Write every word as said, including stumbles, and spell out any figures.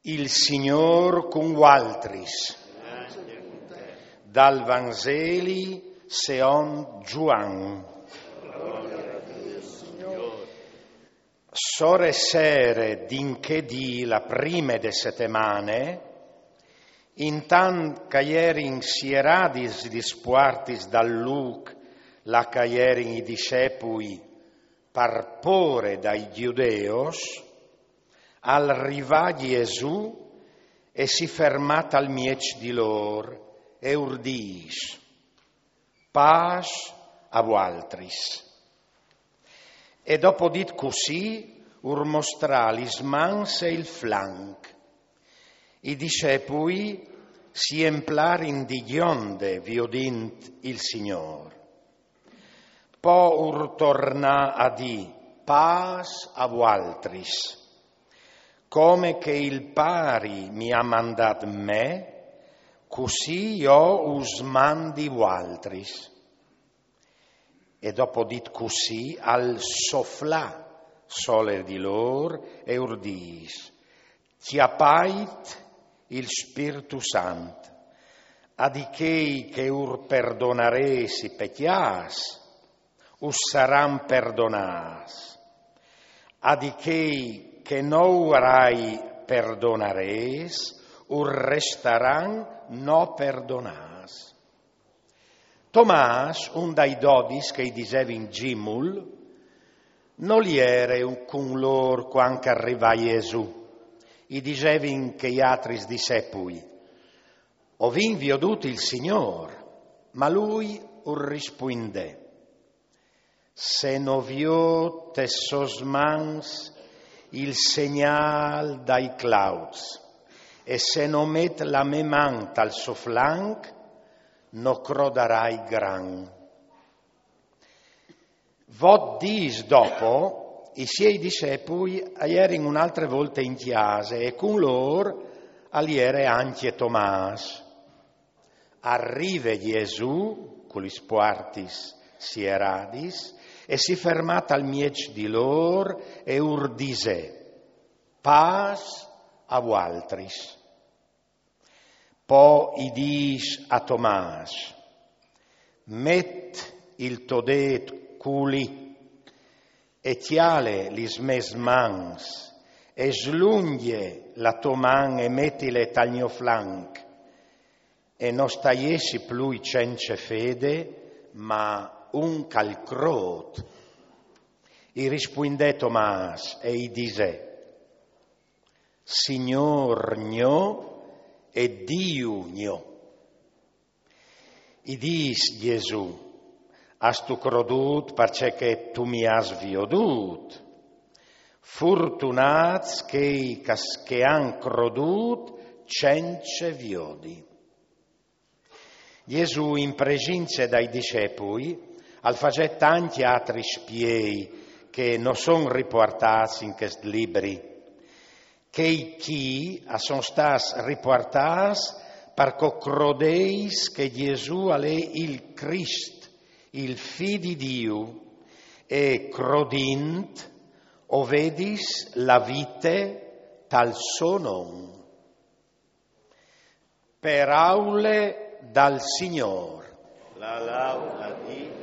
Il Signôr cun vualtris. Dal Vanzeli seond Zuan. Sore sere di 'nchê dì la prime de setemane, intant che a jerin sieradis lis puartis dal lûc là che a jerin i discepui par pôre dai gjudeos, al rivà Jesù e si fermà tal mieç di lôr e ur dîs: «Pâs a vualtris.» E dopo dit cussì, ur mostrà lis mans e il flanc. I discepui si emplarin di gjonde viodint il Signôr. Po ur tornà a dî: «Pâs a vualtris. Come che il Pari mi à mandât me, cussì jo us mandi vualtris.» E dopo dit cussì, al soflà sole di lôr e ur dîs: «Cjapait il Spirtu Sant. A di chei che ur perdonarês i pecjâts, us saran perdonâts. A di chei che no urai perdonarês, ur restaran no perdonâts.» Tomàs, un dai dodis che i disevin Gimul, nol jere cun lôr cuant che al rivà Jesù. I disevin chei altris discepui: «O vin viodût il Signôr.» Ma lui ur rispuindè: «Se no viôt tes sôs mans il segnâl dai clauts, e se no met la mê man tal so flanc, no crodarai gran.» Vot dîs dopo, i siei discepui a jerin une altre volte in cjase e cun lôr al jere ancje Tomàs. Al rive Jesù cu lis puartis sieradis e si fermà tal mieç di lôr e ur disè: «Pâs a vualtris.» Po i dîs a Tomàs: «Met il to dêt culì e cjale lis mês mans, e slungje la tô man e metile tal gno flanc, e no sta jessi plui cence fede, ma un che al crôt.» I rispuindè Tomàs e i disè: «Signôr gno e Diu gno.» I dîs Jesù: «Âstu crodût parcè che tu mi âs viodût? Fortunâts chei che, che àn crodût cence viodi.» Jesù, in presince dai discepui, al fasè tancj altris spiei che no son ripuartâts in chest libri. Chei chi a son stâts ripuartâts par che o crodeis che Jesù al è il Crist, il Fi di Diu, e crodint o vedis la vite tal so non. Peraule dal Signôr. La laud a Diu.